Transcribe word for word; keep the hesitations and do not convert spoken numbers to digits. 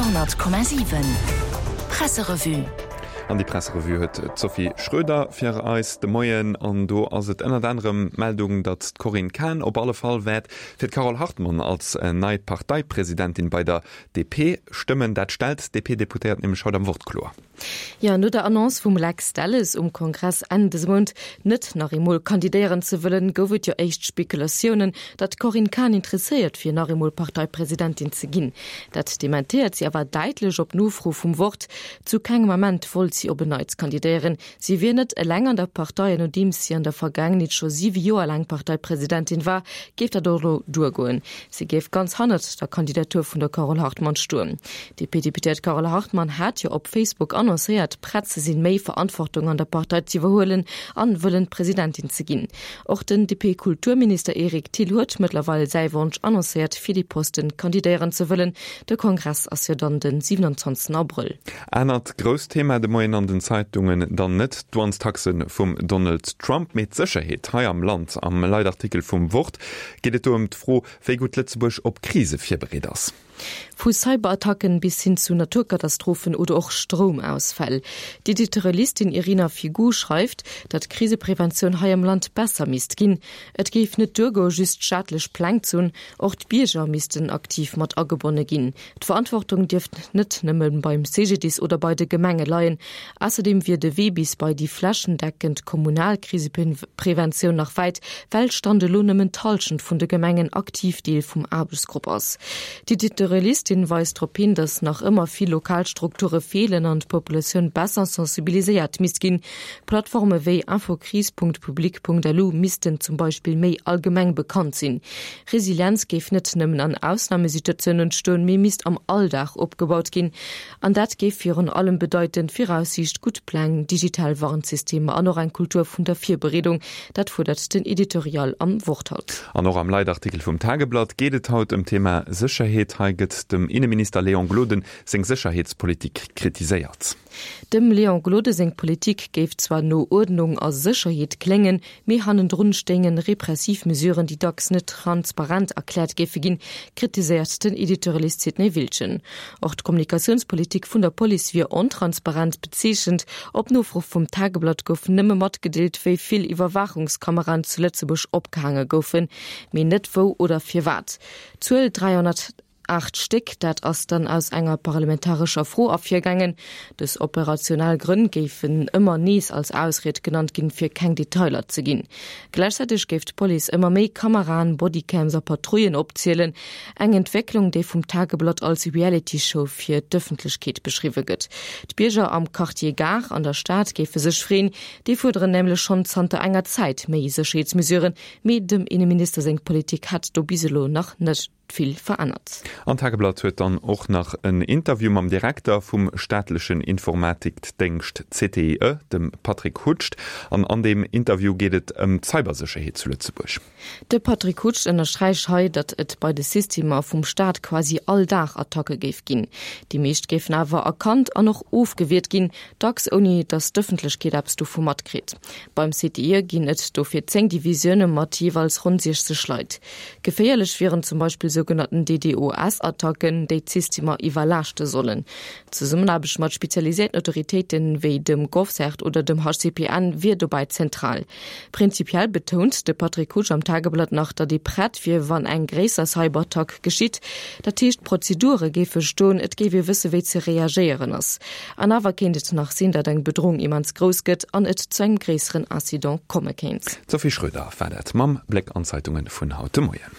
honnert Komma siwen Presserevue. An déi Presserevue huet d'Sophie Schröder fir eis de Moien. An do ass et ënnert anerem d'Meldung, datt d'Corinne Cahen op alle Fall wäert fir d'Carole Hartmann als nei Parteipresidentin bei der D P stëmmen. Dat stellt d'D P-Deputéiert nämlech haut am Wort kloer. Jo, no der Annonce vum Lex Delles um Kongress Enn dëse Mount, net nach eemol kandidéieren ze wëllen, gouf et jo éischt Spekulatiounen, datt d'Corinne Cahen interesséiert wier, nach eemol Parteipresidentin ze ginn. Dat dementéiert si awer däitlech op Nofro vum Wort. Zu kengem Ament wollt si op en Neits kandidéieren. Si wier net eleng an der Partei an nodeems si an der Vergaangenheet scho siwe Joer laang Parteipresidentin war, géif dat och elo duergoen. Si géif ganz hannert der Kandidatur vun der Carole Hartmann stoen. D'D P-Deputéiert Carole Hartmann hat jo op Facebook annoncéiert, prett ze sinn, méi Verantwortung an der Partei ze iwwerhuelen an wëllen Presidentin ze ginn. Och den D P-Kulturminister Eric Thill huet mëttlerweil säi Wonsch annoncéiert, fir dee Posten kandidéieren ze wëllen. De Kongress ass jo dann den siewenundzwanzegsten Abrëll. Anert grousst Thema de Moien an den Zeitungen dann net d'Douanestaxe vum Donald Trump, mee d'Sécherheet hei am Land. Am Leitartikel vum Wort geet et do ëm d'Fro, wéi gutt Lëtzebuerg op Krise virbereet ass. Vu Cyberattacken bis hin zu Naturkatastrophen oder och Stroumausfäll. D'Editorialistin Irina Figu schreift, datt d'Krisepreventioun hei am Land besser misst ginn. Et géif net duergoen, just staatlech Pläng ze hunn, och d'Bierger missten aktiv mat agebonne ginn. D'Verantwortung dierft net nëmme beim C G D I S oder bei de Gemenge leien. Ausserdeem wier de Wee bis bei déi flächendeckend kommunal Krisepreventioun nach wäit, well Stand elo nëmmen d'Hallschent vun de Gemengen aktiv Deel vum Aarbechtsgrupp ass. D'Editorialistin weist drop hin, datt nach ëmmer vill lokal Strukture feelen an d'Populatioun besser sensibiliséiert misst ginn. Plattforme wéi infocrise Punkt public Punkt lu missten zum Beispill méi allgemeng bekannt sinn. Resilienz géif net nëmmen an Ausnamesituatiounen entstoen, mee misst am Alldag opgebaut ginn. An dat géif virun allem bedeiten, Viraussiicht, gutt Pläng, digital Warnsystemer an och eng Kultur vun der Virbereedung. Dat fuerdert den Editorial am Wort haut. An och am Leitartikel vum Tageblatt geet et haut ëm d'Thema Sécherheet. Hei gëtt dem Inneminister Léon Gloden seng Sécherheetspolitik kritiséiert. Dem Léon Gloden seng Politik géif zwar no Uerdnung a Sécherheet kléngen, mee hannendrun stéingen repressiv Mesuren, déi dacks net transparent erkläert géife ginn, kritiséiert den Editorialist Sidney Wiltgen. Och d'Kommunikatiounspolitik vun der Police wier ontransparent bezeechent. Op Nofro vum Tageblatt gouf nëmme matgedeelt, wéi vill Iwwerwaachungskameraen zu Lëtzebuerg opgehaange goufen, mee net wou oder firwat. D'Zuel dräihonnertaacht Stéck, dat ass dann aus enger parlamentarescher Fro ervirgaangen. Dës operationell Grënn géifen ëmmer nees als Ausried genannt ginn, fir keng Detailer ze ginn. Gläichzäiteg géif d'Police ëmmer méi Kameraen, Bodycams a Patrouillen opzielen, eng Entwécklung, déi vum Tageblatt als Reality-Show fir d'Ëffentlechkeet beschriwwe gëtt. D'Bierger am Quartier Gare an der Stad géife sech freeën, déi fuerderen nämlech schonn zanter enger Zäit méi Sécherheetsmesuren, mee dem Inneminister seng Politik hätt do bis elo nach net vill verännert. An Tageblatt huet dann och nach en Interview mam Direkter vum staatlechen Informatikdéngscht C T I E, dem Patrick Hutscht. An an deem Interview geet et ëm d'Cybersécherheet zu Lëtzebuerg. De Patrick Hutscht ënnersträicht hei, datt et bei de Systemer vum Staat quasi all Dag Attacke géif ginn. Déi meescht géifen awer erkannt an och ofgewiert ginn, dacks ouni datt d'Ëffentlechkeet eppes dovu matkritt. Beim C T I E ginn et dofir zéng Divisioune mat jeeweils ronn siechzeg Leit. Geféierlech wieren zum Beispill sougenannten D D O S-Attacken, déi d'Systemer iwwerlaaschte sollen. D'Zesummenaarbecht mat spezialiséierten Autoritéiten wéi dem GovCERT oder dem H C P N wier dobäi zentral. Prinzipiell betount de Patrick Hutscht am Tageblatt nach, datt ee prett wier, wann eng gréisser Cyberattack geschitt. Dat heescht, d'Prozedure géife stoen, et géif ee wësse wéi ze reagéieren ass. An awer kéint et nach sinn, datt eng Bedroung immens grouss gëtt an et zu engem gréisseren Incident komme kéint. D'Sophie Schröder war dat mam Bléck an d'Zeitunge vun haut de Moien.